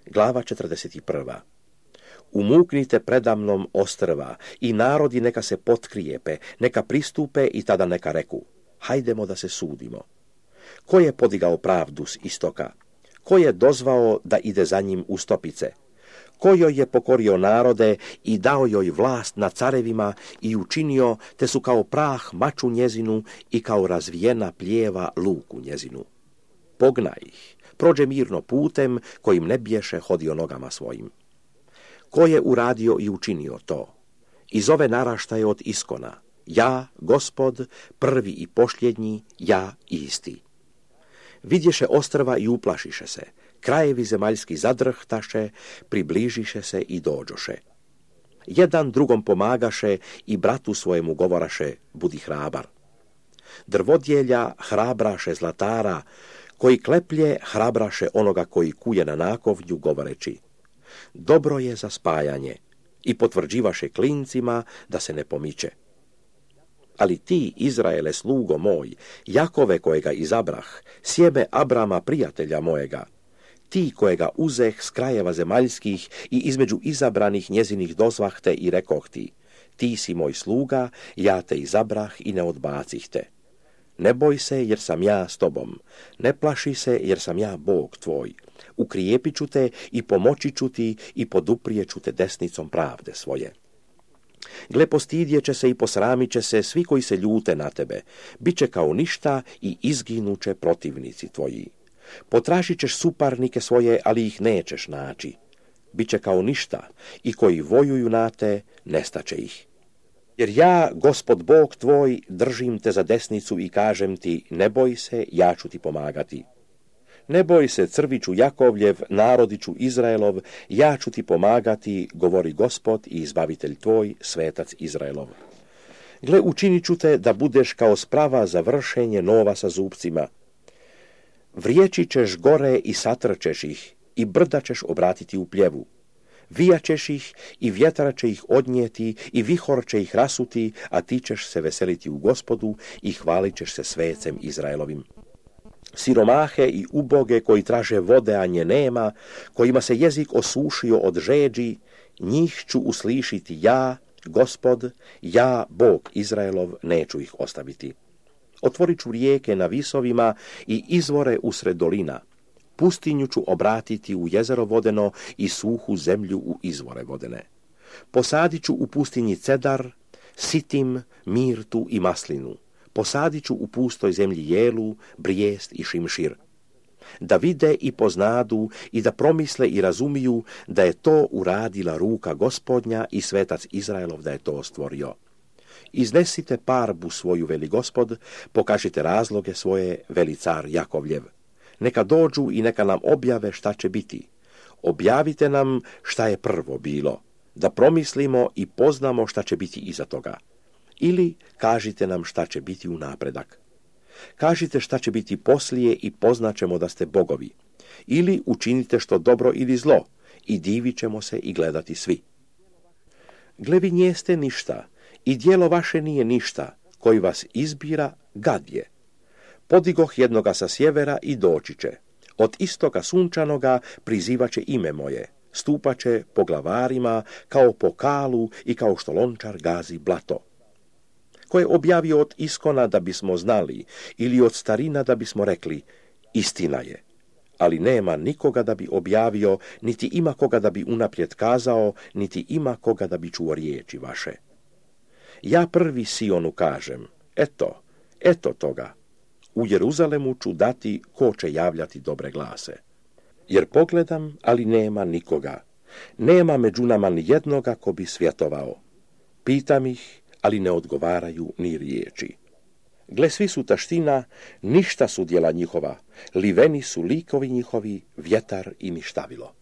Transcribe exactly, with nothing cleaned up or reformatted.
Glava četrdeset prva. Umuknite predamnom ostrva i narodi neka se potkrijepe, neka pristupe i tada neka reku, hajdemo da se sudimo. Ko je podigao pravdu s istoka? Ko je dozvao da ide za njim u stopice? Ko joj je pokorio narode i dao joj vlast na carevima i učinio, te su kao prah maču njezinu i kao razvijena plijeva luku njezinu. Pognaj ih, prođe mirno putem kojim ne biješe hodio nogama svojim. Ko je uradio i učinio to? Iz ove naraštaje od iskona. Ja, Gospod, prvi i posljednji, ja isti. Vidješe ostrva i uplašiše se. Krajevi zemaljski zadrhtaše, približiše se i dođoše. Jedan drugom pomagaše i bratu svojemu govoraše, budi hrabar. Drvodjelja hrabraše zlatara, koji kleplje hrabraše onoga koji kuje na nakovnju, govoreći, dobro je za spajanje, i potvrđivaše klincima da se ne pomiče. Ali ti, Izraele, slugo moj, Jakove kojega izabrah, sjeme Abrama, prijatelja mojega, ti kojega uzeh s krajeva zemaljskih i između izabranih njezinih dozvahte i rekoh ti, ti si moj sluga, ja te izabrah i ne odbacih te. Ne boj se jer sam ja s tobom, ne plaši se jer sam ja Bog tvoj. Ukrijepit ću te i pomoći ću ti i poduprijet ću te desnicom pravde svoje. Gle, postidjet će se i posramit će se svi koji se ljute na tebe, bit će kao ništa i izginuće protivnici tvoji. Potražit ćeš suparnike svoje, ali ih nećeš naći. Biće kao ništa i koji vojuju na te, nestaće ih. Jer ja, Gospod Bog tvoj, držim te za desnicu i kažem ti, ne boj se, ja ću ti pomagati. Ne boj se, crviću Jakovljev, narodiću Izraelov, ja ću ti pomagati, govori Gospod i izbavitelj tvoj, svetac Izraelov. Gle, učinit ću te da budeš kao sprava za vršenje nova sa zupcima. Vrijeći ćeš gore i satrčeš ih, i brda ćeš obratiti u pljevu. Vijaćeš ih i vjetra će ih odnijeti i vihor će ih rasuti, a ti ćeš se veseliti u Gospodu i hvalit ćeš se svecem Izraelovim. Siromahe i uboge koji traže vode, a nje nema, kojima se jezik osušio od žeđi, njih ću uslišiti ja, Gospod, ja, Bog Izraelov, neću ih ostaviti. Otvorit ću rijeke na visovima i izvore usred dolina. Pustinju ću obratiti u jezero vodeno i suhu zemlju u izvore vodene. Posadit ću u pustinji cedar, sitim, mirtu i maslinu. Posadit ću u pustoj zemlji jelu, brijest i šimšir. Da vide i poznadu i da promisle i razumiju da je to uradila ruka Gospodnja i svetac Izraelov da je to stvorio. Iznesite parbu svoju, veli Gospod, pokažite razloge svoje, veli car Jakovljev. Neka dođu i neka nam objave šta će biti. Objavite nam šta je prvo bilo, da promislimo i poznamo šta će biti iza toga. Ili kažite nam šta će biti u napredak. Kažite šta će biti poslije i poznaćemo da ste bogovi. Ili učinite što dobro ili zlo i divit ćemo se i gledati svi. Gle, vi njeste ništa i djelo vaše nije ništa, koji vas izbira, gad je. Podigoh jednoga sa sjevera i doći će. Od istoka sunčanoga prizivaće ime moje. Stupaće po glavarima kao po kalu i kao što lončar gazi blato. Ko je objavio od iskona da bismo znali ili od starina da bismo rekli, istina je. Ali nema nikoga da bi objavio, niti ima koga da bi unaprijed kazao, niti ima koga da bi čuo riječi vaše. Ja prvi Sionu kažem, eto, eto toga. U Jeruzalemu ću dati ko će javljati dobre glase. Jer pogledam, ali nema nikoga. Nema među nama ni jednoga ko bi svjetovao. Pitam ih, ali ne odgovaraju ni riječi. Gle, svi su taština, ništa su djela njihova, liveni su likovi njihovi, vjetar i ništavilo.